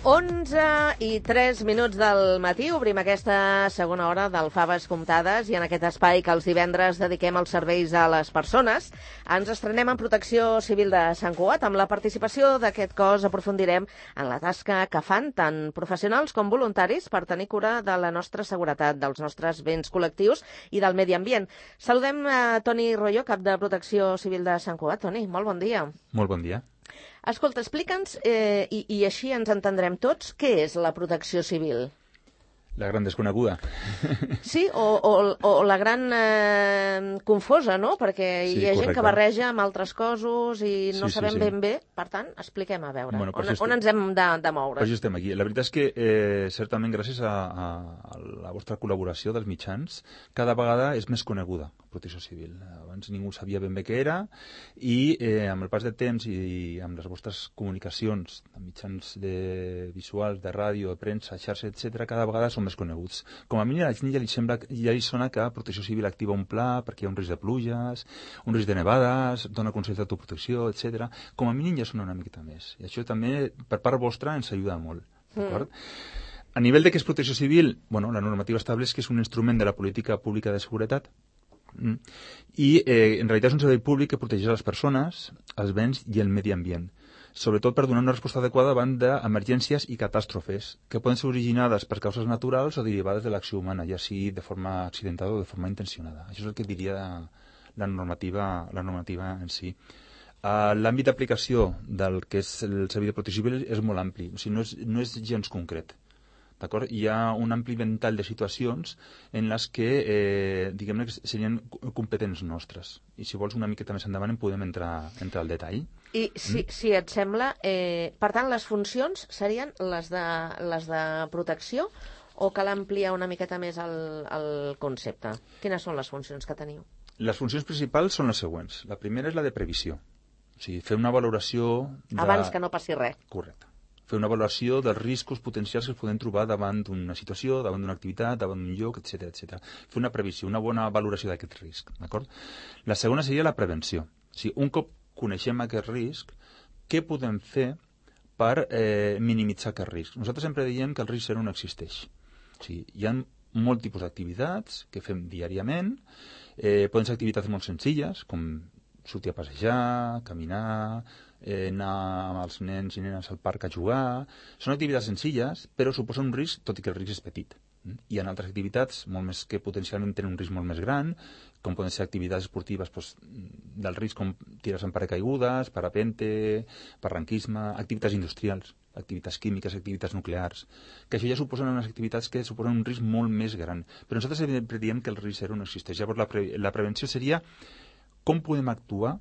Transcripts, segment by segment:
11:03 del matí, obrim aquesta segona hora del Faves Comptades i en aquest espai que els divendres dediquem als serveis a les persones ens estrenem en Protecció Civil de Sant Cugat. Amb la participació d'aquest cos aprofundirem en la tasca que fan tant professionals com voluntaris per tenir cura de la nostra seguretat, dels nostres béns col·lectius i del medi ambient. Saludem a Toni Royo, cap de Protecció Civil de Sant Cugat. Toni, molt bon dia. Molt bon dia. Escolta, explica'ns, i així ens entendrem tots, què és la protecció civil? La gran desconeguda. Sí, o la gran confosa, no? Perquè hi ha gent que barreja amb altres cossos i no sabem ben bé. Per tant, expliquem a veure on ens hem de moure. Per això estem aquí. La veritat és que, certament, gràcies a la vostra col·laboració dels mitjans, cada vegada és més coneguda la protecció civil. Abans ningú sabia ben bé què era i amb el pas de temps i amb les vostres comunicacions, de mitjans visuals, de ràdio, de premsa, xarxa, etc., cada vegada són més coneguts. Com a mínim a la gent ja li sona que Protecció Civil activa un pla perquè hi ha un risc de pluges, un risc de nevades, dona consells d'autoprotecció, etc. Com a mínim ja sona una miqueta més. I això també, per part vostra, ens ajuda molt. D'acord? A nivell de què és Protecció Civil, la normativa estableix que és un instrument de la política pública de seguretat i en realitat és un servei públic que protegeix les persones, els béns i el medi ambient, sobretot per donar una resposta adequada davant d'emergències i catàstrofes que poden ser originades per causes naturals o derivades de l'acció humana, ja sigui de forma accidentada o de forma intencionada. Això és el que diria la normativa en si. L'àmbit d'aplicació del que és el servei de protecció civil és molt ampli, o sigui, no és gens concret. D'acord? Hi ha un ampli ventall de situacions en les que, diguem-ne, serien competents nostres. I si vols una miqueta més endavant en podem entrar al detall. I si et sembla, per tant, les funcions serien les de protecció o cal ampliar una miqueta més el concepte? Quines són les funcions que teniu? Les funcions principals són les següents. La primera és la de previsió. O sigui, fer una valoració... Abans que no passi res. Correcte. Fer una valoració dels riscos potencials que es poden trobar davant d'una situació, davant d'una activitat, davant d'un lloc, etc. Fer una previsió, una bona valoració d'aquest risc. D'acord? La segona seria la prevenció. O sigui, un cop coneixem aquest risc, què podem fer per minimitzar aquest risc? Nosaltres sempre diem que el risc zero no existeix. O sigui, hi ha molt tipus d'activitats que fem diàriament, poden ser activitats molt senzilles, com sortir a passejar, caminar, anar amb els nens i nenes al parc a jugar. Són activitats senzilles, però suposen un risc, tot i que el risc és petit. Hi ha altres activitats molt més que potencialment tenen un risc molt més gran, com poden ser activitats esportives del risc com tires amb paracaigudes, parapente, barranquisme, activitats industrials, activitats químiques, activitats nuclears, que això ja suposen unes activitats que suposen un risc molt més gran. Però nosaltres sempre diem que el risc zero no existeix. Llavors la prevenció seria com podem actuar,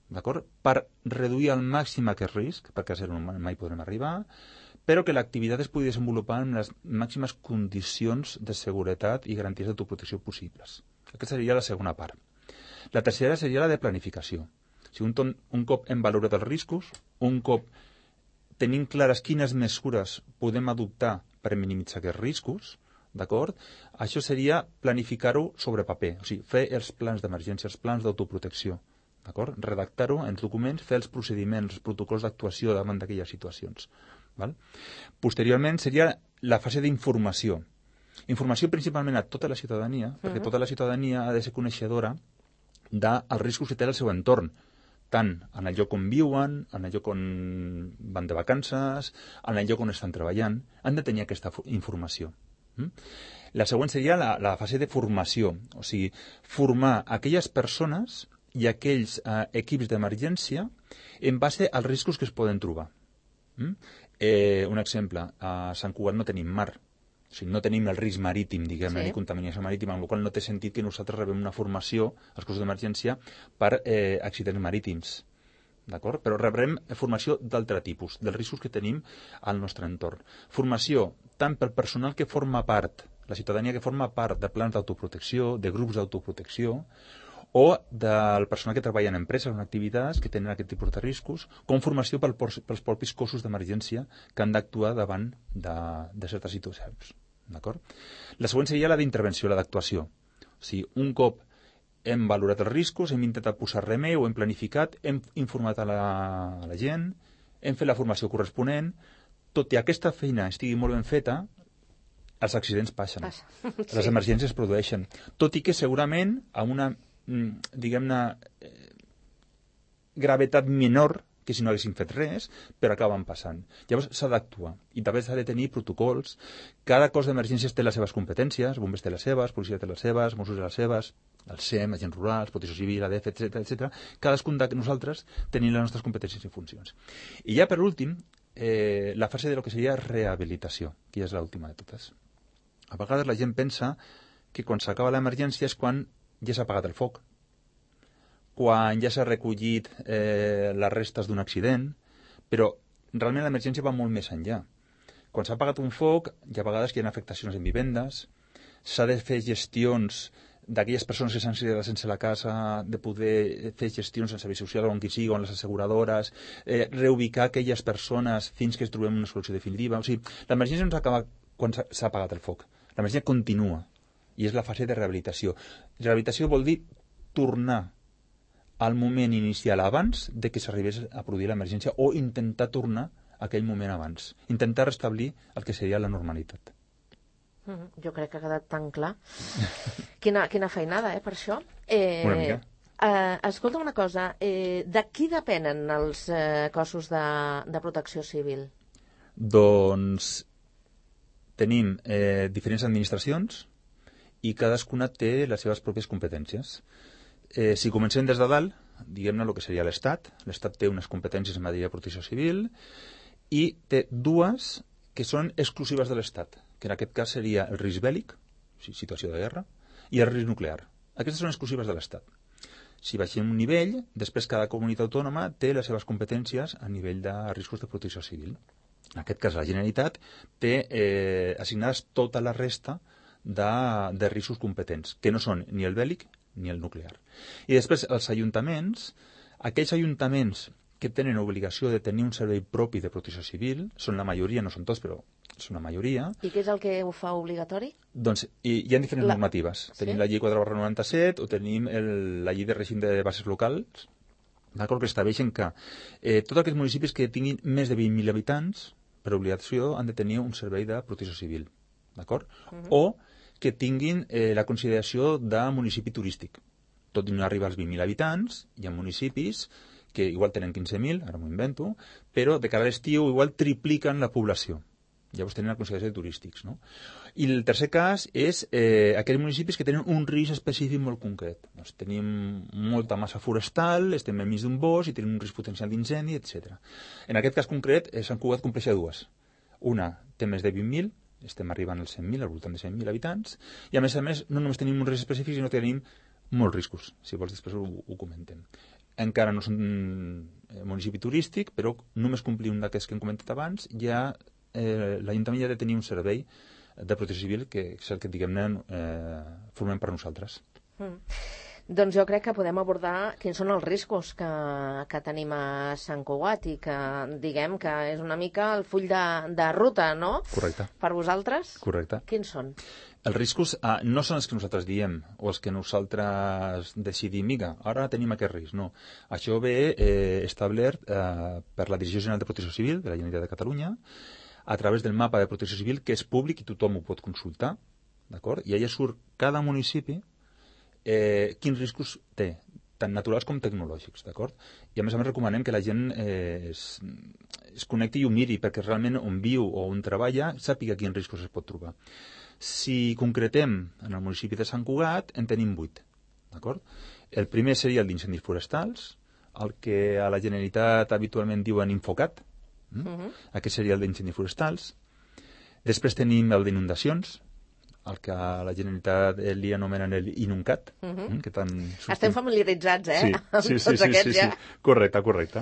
d'acord, per reduir al màxim aquest risc, perquè a zero mai podrem arribar, però que l'activitat es pugui desenvolupar en les màximes condicions de seguretat i garanties d'autoprotecció possibles. Aquesta seria la segona part. La tercera seria la de planificació. O sigui, un cop hem valorat els riscos, un cop tenim clares quines mesures podem adoptar per minimitzar aquests riscos, d'acord? Això seria planificar-ho sobre paper, o sigui, fer els plans d'emergència, els plans d'autoprotecció, d'acord? Redactar-ho en documents, fer els procediments, els protocols d'actuació davant d'aquelles situacions. Val? Posteriorment seria la fase d'informació. Informació principalment a tota la ciutadania, perquè tota la ciutadania ha de ser coneixedora dels riscos que té el seu entorn, tant en el lloc on viuen, en el lloc on van de vacances, en el lloc on estan treballant, han de tenir aquesta informació. La següent seria la fase de formació, o sigui, formar aquelles persones i aquells equips d'emergència en base als riscos que es poden trobar. Un exemple, a Sant Cugat no tenim mar, o sigui, no tenim el risc marítim, diguem-ne, ni contaminació marítima, amb la qual no té sentit que nosaltres rebem una formació als cossos d'emergència per accidents marítims. D'acord? Però rebrem formació d'altre tipus, dels riscos que tenim al nostre entorn. Formació tant pel personal que forma part, la ciutadania que forma part de plans d'autoprotecció, de grups d'autoprotecció, o del personal que treballa en empreses o en activitats que tenen aquest tipus de riscos, com formació pels propis cossos d'emergència que han d'actuar davant de certes situacions. D'acord? La següent seria la d'intervenció, la d'actuació. O sigui, un cop hem valorat els riscos, hem intentat posar remei, ho hem planificat, hem informat a la gent, hem fet la formació corresponent, tot i aquesta feina estigui molt ben feta, els accidents passen. Les emergències es produeixen. Tot i que segurament amb una, diguem-ne, gravetat menor que si no haguessin fet res, però acaben passant. Llavors s'ha d'actuar i també s'ha de tenir protocols. Cada cos d'emergències té les seves competències, bombers té les seves, policia té les seves, Mossos té les seves, el SEM, agents rurals, Protecció Civil, ADF, etc. Cadascun de nosaltres tenim les nostres competències i funcions. I ja per últim, la fase de lo que seria rehabilitació, que ja és l'última de totes. A vegades la gent pensa que quan s'acaba l'emergència és quan ja s'ha apagat el foc, quan ja s'ha recollit les restes d'un accident, però realment l'emergència va molt més enllà. Quan s'ha apagat un foc, hi ha vegades que hi ha afectacions en vivendes, s'ha de fer gestions d'aquelles persones que s'han quedat sense la casa, de poder fer gestions en serveis socials, on qui sigui, on les asseguradores, reubicar aquelles persones fins que es trobem una solució definitiva. O sigui, l'emergència no s'acaba quan s'ha apagat el foc. L'emergència continua, i és la fase de rehabilitació. Rehabilitació vol dir tornar al moment inicial abans de que s'arribés a produir l'emergència o intentar tornar a aquell moment abans. Intentar restablir el que seria la normalitat. Jo crec que ha quedat tan clar. Quina feinada, per això. Una mica. Escolta una cosa, de qui depenen els cossos de protecció civil? Doncs tenim diferents administracions i cadascuna té les seves pròpies competències. Si comencem des de dalt, diguem-ne el que seria l'Estat. L'Estat té unes competències en matèria de protecció civil i té dues que són exclusives de l'Estat, que en aquest cas seria el risc bèl·lic, situació de guerra, i el risc nuclear. Aquestes són exclusives de l'Estat. Si baixem un nivell, després cada comunitat autònoma té les seves competències a nivell de riscos de protecció civil. En aquest cas, la Generalitat té assignades tota la resta de riscos competents, que no són ni el bèl·lic ni el nuclear. I després els ajuntaments, aquells ajuntaments que tenen obligació de tenir un servei propi de protecció civil, són la majoria, no són tots, però és una majoria. I què és el que ho fa obligatori? Doncs hi ha diferents normatives. Sí? Tenim la llei 4/97 o tenim la llei de règim de bases locals, d'acord, que estableixen que tots aquells municipis que tinguin més de 20.000 habitants, per obligació, han de tenir un servei de protecció civil, d'acord? O que tinguin la consideració de municipi turístic. Tot i no arriba als 20.000 habitants, hi ha municipis que igual tenen 15.000, ara m'ho invento, però de cara a l'estiu igual tripliquen la població. Llavors tenen la consideració de turístics, no? I el tercer cas és aquells municipis que tenen un risc específic molt concret. Doncs tenim molta massa forestal, estem enmig d'un bosc i tenim un risc potencial d'incendi, etc. En aquest cas concret, Sant Cugat compleix dues. Una té més de 20.000, estem arribant als 100.000, al voltant de 100.000 habitants, i a més, no només tenim un risc específic, sinó que tenim molts riscos. Si vols, després ho comentem. Encara no són municipi turístic, però només complir un d'aquests que hem comentat abans, ja l'Ajuntament ja ha de tenir un servei de protecció civil que és el que, diguem-ne, formem per nosaltres. Doncs jo crec que podem abordar quins són els riscos que tenim a Sant Cugat i que diguem que és una mica el full de ruta, no? Correcte. Per vosaltres? Correcte. Quins són? Els riscos no són els que nosaltres diem o els que nosaltres decidim, mira, ara tenim aquest risc, no. Això ve establert per la Direcció General de Protecció Civil de la Generalitat de Catalunya a través del mapa de protecció civil que és públic i tothom ho pot consultar, d'acord? I allà surt cada municipi quins riscos té, tant naturals com tecnològics, d'acord? I a més recomanem que la gent es connecti i ho miri, perquè realment on viu o on treballa sàpiga quins riscos es pot trobar. Si concretem en el municipi de Sant Cugat, en tenim 8, d'acord? El primer seria el d'incendis forestals, el que a la Generalitat habitualment diuen Infocat, aquest seria el d'incendis forestals. Després tenim el d'inundacions, el que a la Generalitat li anomenen l'INUNCAT. Que tant estem familiaritzats, sí, amb tots aquests ja. Correcte.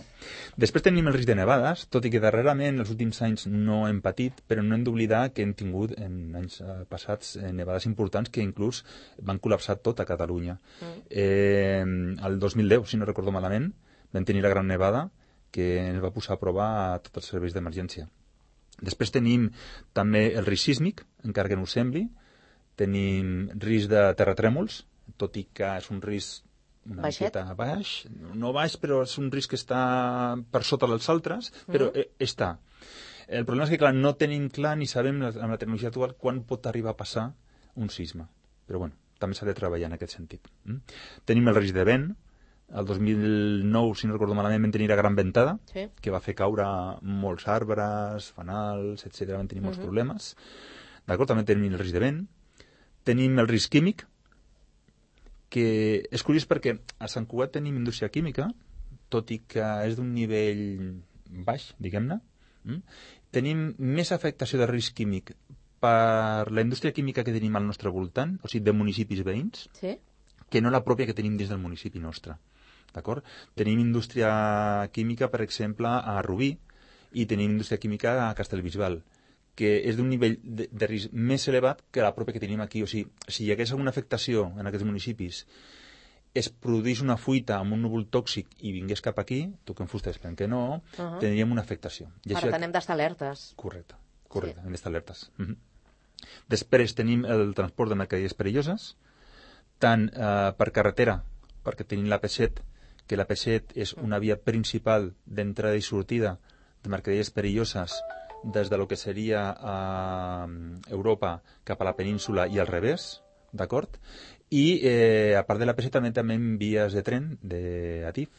Després tenim el risc de nevades, tot i que darrerament, els últims anys, no hem patit, però no hem d'oblidar que hem tingut en anys passats nevades importants que inclús van col·lapsar tot a Catalunya. El 2010, si no recordo malament, vam tenir la gran nevada que ens va posar a prova a tots els serveis d'emergència. Després tenim també el risc sísmic, encara que no ho sembli. Tenim risc de terratrèmols, tot i que és un risc una miqueta baix. No baix, però és un risc que està per sota dels altres, però està. El problema és que, clar, no tenim clar ni sabem amb la tecnologia actual quan pot arribar a passar un sisme. Però, bueno, també s'ha de treballar en aquest sentit. Tenim el risc de vent. El 2009, si no recordo malament, vam tenir la gran ventada, que va fer caure molts arbres, fanals, etc. Vam tenir molts problemes. D'acord? També tenim el risc de vent. Tenim el risc químic, que és curiós perquè a Sant Cugat tenim indústria química, tot i que és d'un nivell baix, diguem-ne. Tenim més afectació de risc químic per la indústria química que tenim al nostre voltant, o sigui, de municipis veïns, que no la pròpia que tenim dins del municipi nostre. D'acord? Tenim indústria química, per exemple, a Rubí, i tenim indústria química a Castellbisbal, que és d'un nivell de risc més elevat que la pròpia que tenim aquí. O sigui, si hi hagués alguna afectació en aquests municipis, es produís una fuita amb un núvol tòxic i vingués cap aquí, tu que en fusta esperem que no, tindríem una afectació. Per tant, hem d'estar alertes. Correcte, hem d'estar alertes. Després tenim el transport de mercaderies perilloses, tant per carretera, perquè tenim l'AP7, que l'AP7 és una via principal d'entrada i sortida de mercaderies perilloses des de lo que seria Europa cap a la península i al revés, d'acord? I a part de l'AP7 també tenim vies de tren d'ATIF,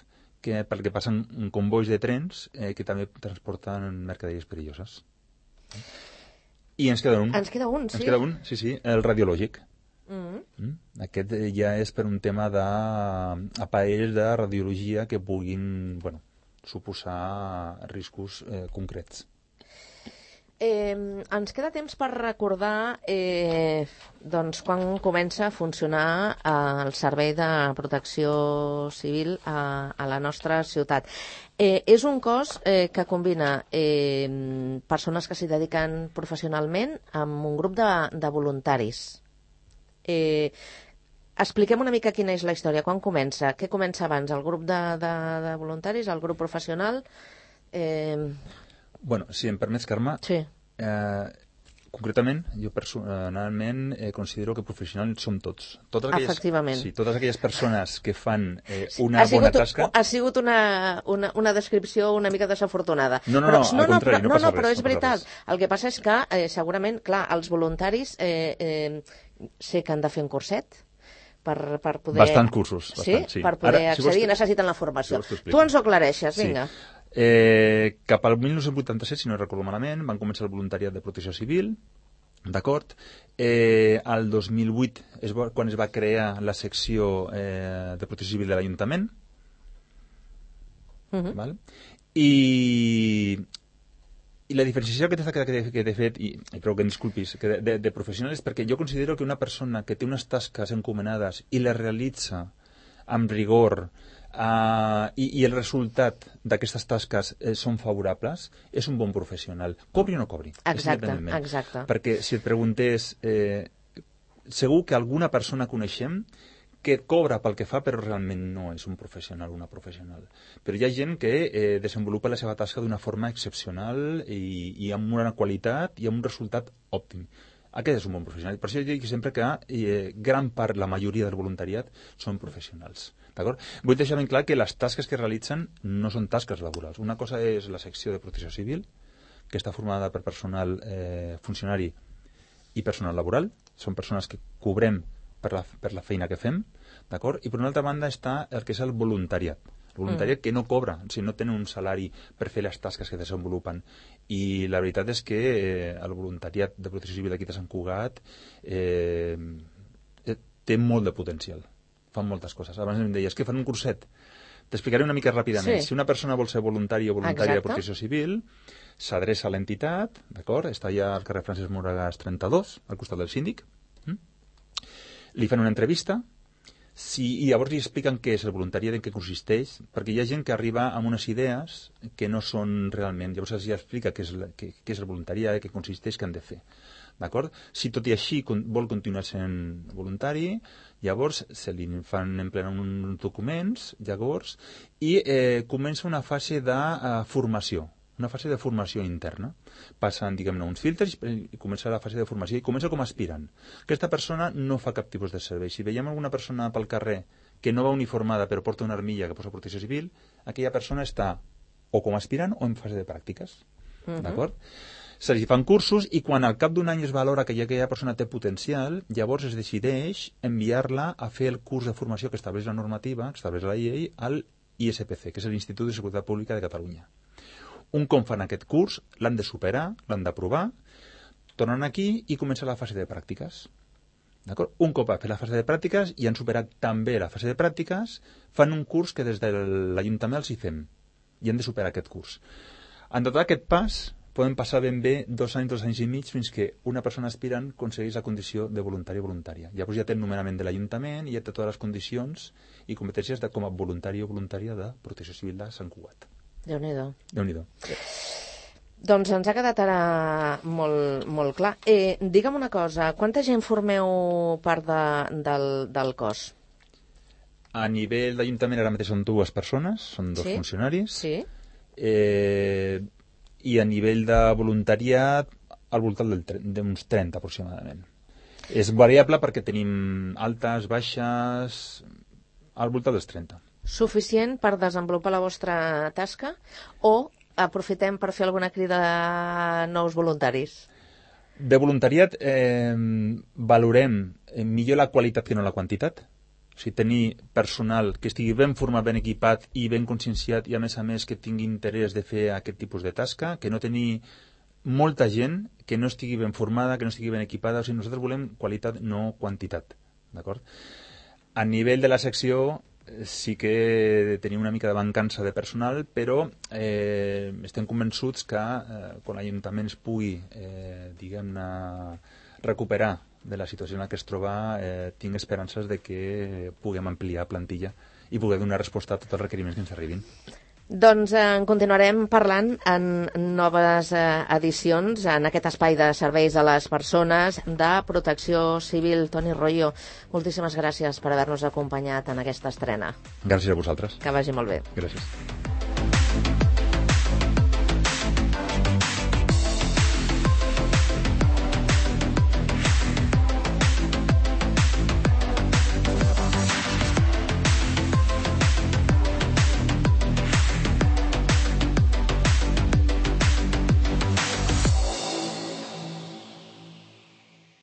perquè passen convois de trens que també transporten mercaderies perilloses. I ens queda un. Ens queda un, sí. Ens queda un, sí, el radiològic. Aquest ja és per un tema d'aparells de radiologia que puguin suposar riscos concrets. Ens queda temps per recordar quan comença a funcionar el Servei de Protecció Civil a la nostra ciutat. És un cos que combina persones que s'hi dediquen professionalment amb un grup de voluntaris. Expliquem una mica quina és la història. Quan comença? Què comença abans? El grup de voluntaris? El grup professional? Si em permets, Carme, concretament, jo personalment considero que professionals som tots. Efectivament. Sí, totes aquelles persones que fan una bona tasca... Ha sigut una descripció una mica desafortunada. No, al contrari, no passa res. Però és veritat. El que passa és que, segurament, clar, els voluntaris sé que han de fer un curset per poder... Bastants cursos. Sí? Per poder accedir, necessiten la formació. Tu ens ho aclareixes, vinga. Cap al 1987, si no recordo malament, van començar el voluntariat de protecció civil, d'acord? Al 2008 és quan es va crear la secció de protecció civil de l'Ajuntament, i la diferenciació que t'he fet, i prou que em disculpis, de professional és perquè jo considero que una persona que té unes tasques encomanades i les realitza amb rigor i el resultat d'aquestes tasques són favorables, és un bon professional. Cobri o no cobri. Exacte. Perquè si et preguntés, segur que alguna persona coneixem que cobra pel que fa però realment no és un professional o una professional. Però hi ha gent que desenvolupa la seva tasca d'una forma excepcional i amb una qualitat i amb un resultat òptim. Aquest és un bon professional. Per això jo dic sempre que gran part, la majoria del voluntariat són professionals. D'acord? Vull deixar ben clar que les tasques que realitzen no són tasques laborals. Una cosa és la secció de protecció civil, que està formada per personal funcionari i personal laboral. Són persones que cobrem per la feina que fem, d'acord? I per una altra banda està el que és el voluntariat. El voluntariat que no cobra, o sigui, no tenen un salari per fer les tasques que desenvolupen. I la veritat és que el voluntariat de protecció civil d'aquí de Sant Cugat té molt de potencial. Fan moltes coses. Abans em deies que fan un curset. T'explicaré una mica ràpidament. Si una persona vol ser voluntari o voluntària de protecció civil, s'adreça a l'entitat, d'acord? Està allà al carrer Francesc Moragas 32, al costat del síndic. Li fan una entrevista i llavors li expliquen què és el voluntariat, en què consisteix, perquè hi ha gent que arriba amb unes idees que no són realment. Llavors els explica què és el voluntariat, què consisteix, què han de fer. D'acord? Si tot i així vol continuar sent voluntari, llavors se li fan emplenar uns documents, llavors, i comença una fase de formació. Una fase de formació interna. Passen, diguem-ne, uns filtres i comença la fase de formació i comença com a aspirant. Aquesta persona no fa cap tipus de servei. Si veiem alguna persona pel carrer que no va uniformada però porta una armilla que posa protecció civil, aquella persona està o com a aspirant o en fase de pràctiques. d'acord? Se li fan cursos i quan al cap d'un any es valora que aquella persona té potencial, llavors es decideix enviar-la a fer el curs de formació que estableix la normativa, que estableix la llei, al ISPC, que és l'Institut de Seguretat Pública de Catalunya. Un cop fan aquest curs, l'han de superar, l'han d'aprovar, tornen aquí i comença la fase de pràctiques. D'acord? Un cop ha fet la fase de pràctiques i han superat també la fase de pràctiques, fan un curs que des de l'Ajuntament els hi fem i han de superar aquest curs. En tot aquest pas poden passar ben bé 2 anys i mig fins que una persona aspirant aconsegueix la condició de voluntari o voluntària. Llavors ja té el nomenament de l'Ajuntament i ja té totes les condicions i competències com a voluntari o voluntària de Protecció Civil de Sant Cugat. Déu-n'hi-do. Déu-n'hi-do. Doncs ens ha quedat ara molt clar. Digue'm una cosa, quanta gent formeu part del cos? A nivell d'Ajuntament ara mateix són 2 persones, són 2 funcionaris. Sí. I a nivell de voluntariat al voltant d'uns 30 aproximadament. És variable perquè tenim altes, baixes, al voltant dels 30. Suficient per desenvolupar la vostra tasca o aprofitem per fer alguna crida a nous voluntaris? De voluntariat valorem millor la qualitat que no la quantitat. O sigui, tenir personal que estigui ben format, ben equipat i ben conscienciat i, a més, que tingui interès de fer aquest tipus de tasca, que no tenir molta gent que no estigui ben formada, que no estigui ben equipada. O sigui, nosaltres volem qualitat, no quantitat. D'acord? A nivell de la secció sí que tenim una mica de mancança de personal, però estem convençuts que quan l'Ajuntament es pugui, diguem-ne, recuperar de la situació en la que es troba, tinc esperances de que puguem ampliar plantilla i poder donar resposta a tots els requeriments que ens arribin. Doncs en continuarem parlant en noves edicions en aquest espai de serveis a les persones de Protecció Civil. Toni Royo, moltíssimes gràcies per haver-nos acompanyat en aquesta estrena. Gràcies a vosaltres. Que vagi molt bé. Gràcies.